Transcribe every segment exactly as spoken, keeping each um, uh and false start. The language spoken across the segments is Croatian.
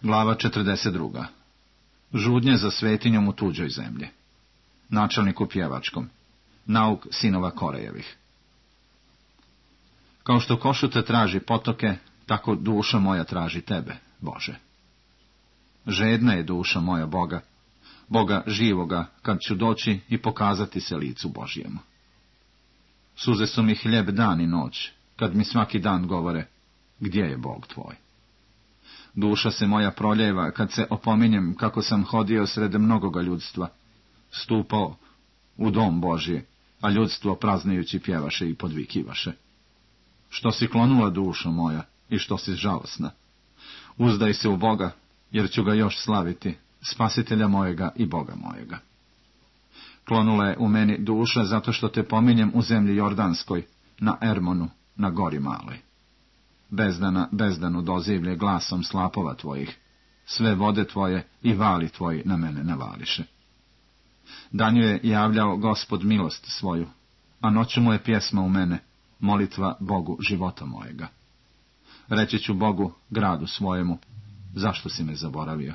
Glava četrdeset druga. Žudnje za svetinjom u tuđoj zemlji. Načelniku pjevačkom. Nauk sinova Korejevih. Kao što košute traži potoke, tako duša moja traži tebe, Bože. Žedna je duša moja Boga, Boga živoga, kad ću doći i pokazati se licu Božjemu. Suze su mi hljeb dan i noć, kad mi svaki dan govore, gdje je Bog tvoj? Duša se moja proljeva, kad se opominjem kako sam hodio sred mnogoga ljudstva, stupao u dom Božji, a ljudstvo praznajući pjevaše i podvikivaše. Što si klonula, dušo moja, i što si žalosna? Uzdaj se u Boga, jer ću ga još slaviti, spasitelja mojega i Boga mojega. Klonula je u meni duša zato što te pominjem u zemlji Jordanskoj, na Ermonu, na gori maloj. Bezdana, bezdanu dozivlje glasom slapova tvojih, sve vode tvoje i vali tvoji na mene navališe. Danju je javljao Gospod milost svoju, a noću mu je pjesma u mene, molitva Bogu života mojega. Reći ću Bogu, gradu svojemu, zašto si me zaboravio?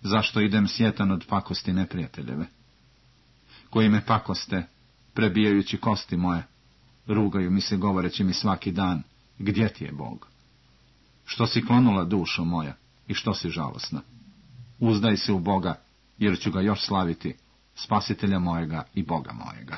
Zašto idem sjetan od pakosti neprijateljeve? Koji me pakoste, prebijajući kosti moje, rugaju mi se govoreći mi svaki dan, gdje ti je Bog? Što si klonula, dušo moja, i što si žalosna? Uzdaj se u Boga, jer ću ga još slaviti, spasitelja mojega i Boga mojega.